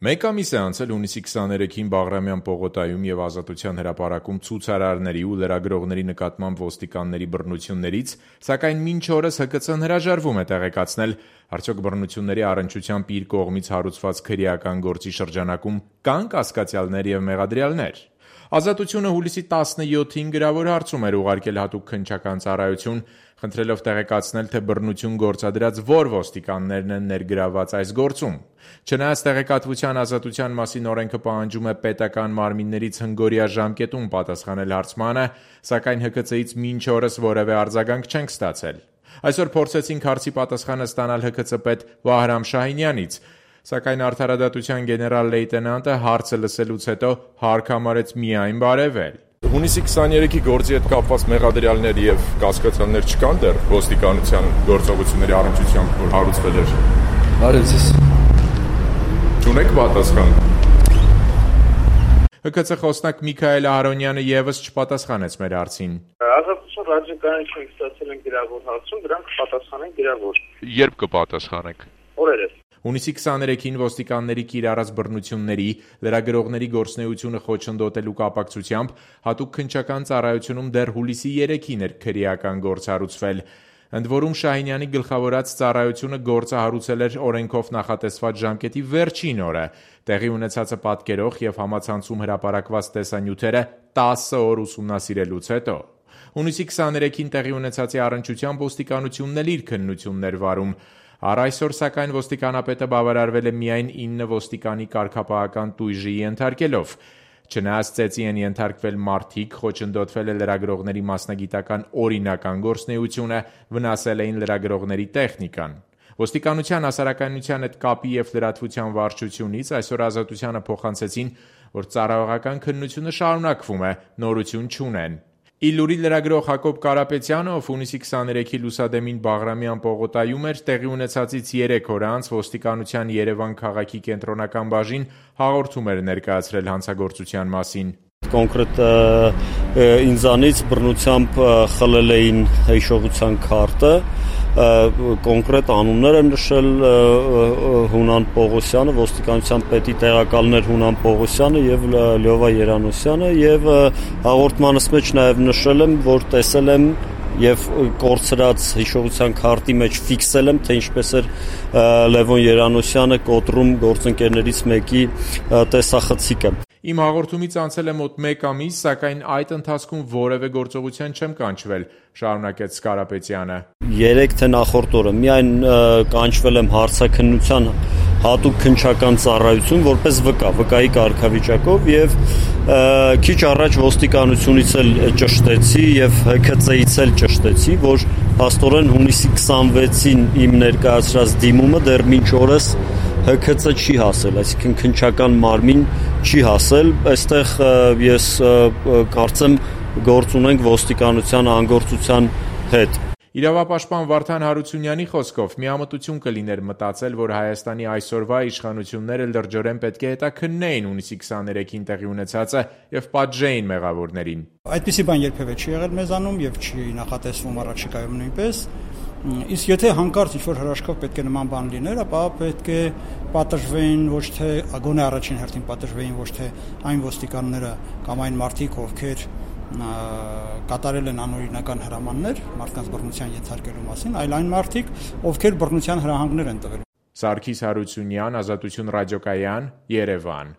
Մեկ ամիս է անցել հունիսի 23-ին Բաղրամյան պողոտայում և Ազատության հրապարակում ցուցարարների ու լրագրողների նկատմամբ ոստիկանների բռնություններից, սակայն մինչ օրս ՀԿՑ-ն հրաժարվում է տեղեկացնել, արդյոք բռնությունների առնչությամբ իր կողմից հարուցված քրեական գործի շրջանակում կան կասկածյալներ և մեղադրյալներ։ Ազատությունը հուլիսի 17-ին գրավոր հարցում էր ուղարկել հատուկ քննչական ծառայություն, խնդրելով տեղեկացնել, թե բռնություն գործադրած որ ոստիկաններն են ներգրավված այս գործում։ Չնայած տեղեկատվության ազատության մասին օրենքը պահանջում է պետական մարմիններից հնգօրյա ժամկետում պատասխանել հարցմանը, սակայն ՀԿՑ-ից մինչ օրս որևէ արձագանք չենք ստացել։ Այսօր փորձեցինք հարցի պատասխանը ստանալ ՀԿՑ պետ Վահրամ Շահինյանից, սակայն արդարադատության գեներալ լեյտենանտը հարցը լսելուց հետո հարկ համարեց միայն բարևել։ Հունիսի 23-ի գործի հետ կապված մեղադրյալներ և կասկածյալներ չկան դեռ ոստիկանության գործողությունների առնչությամբ, որ հարուցվել էր։ Բարև ձեզ։ Չունեք պատասխան։ ՀԿՑ խոսնակ Միքայել Ահարոնյանը ևս չպատասխանեց մեր հարցին։ Ազատություն ռադիոկայանի չենք ստացել են գրավոր հարցում, դրանք կպատասխանեն գրավոր։ Երբ կպատասխանեք։ Օրերս։ Հունիսի 23-ին ոստիկանների կիրառած բռնությունների, լրագրողների գործունեությունը խոչընդոտելու կապակցությամբ հատուկ քննչական ծառայությունում դեռ հուլիսի 3-ին էր քրեական գործ հարուցվել։ Ընդ որում Շահինյանի գլխավորած ծառայությունը գործը հարուցել էր օրենքով նախատեսված ժամկետի վերջին օրը։ Տեղի ունեցածը պատկերող և համացանցում հրապարակված տեսանյութերը 10 օր ուսումնասիրելուց հետո։ Հունիսի 23-ին տեղի ունեցածի առնչությամբ ոստիկանությունն էլ իր քննությունն էր վարում։ Առ այսօր, սակայն, ոստիկանապետը բավարարվել է միայն 9 ոստիկանի կարգապահական տույժի ենթարկելով։ Չնայած ծեծի են ենթարկվել մարդիկ, խոչընդոտվել է լրագրողների մասնագիտական օրինական գործունեությունը, վնասել էին լրագրողների տեխնիկան։ Ոստիկանության հասարակայնության հետ կապի և լրատվության վարչությունից այսօր Ազատությանը փոխանցեցին, որ ծառայողական քննությունը շարունակվում է, նորություն չունեն։ Իլուրի լրագրող Հակոբ Կարապետյանը, ով հունիսի 23-ի լուսադեմին Բաղրամյան պողոտայում էր, տեղի ունեցածից 3 օր անց ոստիկանության Երևան քաղաքի կենտրոնական բաժին հաղորդում էր ներկայացրել հանցագործության մասին։ Կոնկրետ ինձանից բռնությամբ խլել էին հիշողության քարտը, կոնկրետ անուններ եմ նշել Հունան Պողոսյանը, ոստիկանության պետի տեղակալներ Հունան Պողոսյանը և Լյովա Երանոսյանը, և հաղորդմանս մեջ նաև նշել եմ, որ տեսել եմ և կորցրած հիշողության քարտի մեջ ֆիքսել եմ, թե ինչպես էր Լևոն Երանոսյանը կոտրում գործընկերներից մեկի տեսախցիկը։ Իմ հաղորդումից անցել է մոտ 1 ամիս, սակայն այդ ընթացքում որևէ գործողության չեմ կանչվել, շարունակեց Կարապետյանը։ 3 թե նախորդ օրը միայն կանչվել եմ հարցաքննության հատուկ քննչական ծառայություն որպես վկայի կարգավիճակով և քիչ առաջ ոստիկանությունից էլ ճշտեցի և ՀԿՑ-ից էլ ճշտեցի, որ փաստորեն հունիսի 26-ին իմ ներկայացրած դիմումը դեռ մինչ օրս ՀԿՑ չի հասել, այսինքն քննչական մարմին չի հասել, այստեղ ես կարծեմ գործ ունենք ոստիկանության անգործության հետ։ Իրավապաշտպան Վարդան Հարությունյանի խոսքով միամտություն կլիներ մտածել, որ Հայաստանի այսօրվա իշխանությունները լրջորեն պետք է հետաքննեին հունիսի 23-ին տեղի ունեցածը և պատժեին մեղավորներին։ Այդպիսի բան երբևէ չի եղել մեզանում և չի նախատեսվում առաջիկայում նույնպես։ Իսկ եթե հանկարծ ինչ-որ հրաշքով պետք է նման բան լիներ, ապա պետք է պատժվեին ոչ թե գոնե առաջին հերթին պատժվեին ոչ թե այն ոստիկանները կամ այն մարդիկ, ովքեր կատարել են անօրինական հրամաններ մարդկանց բռնության ենթարկելու մասին, այլ այն մարդիկ, ովքեր բռնության հրահանգներ են տվել։ Սարգիս Հարությունյան, Ազատություն ռադիոկայան, Երևան։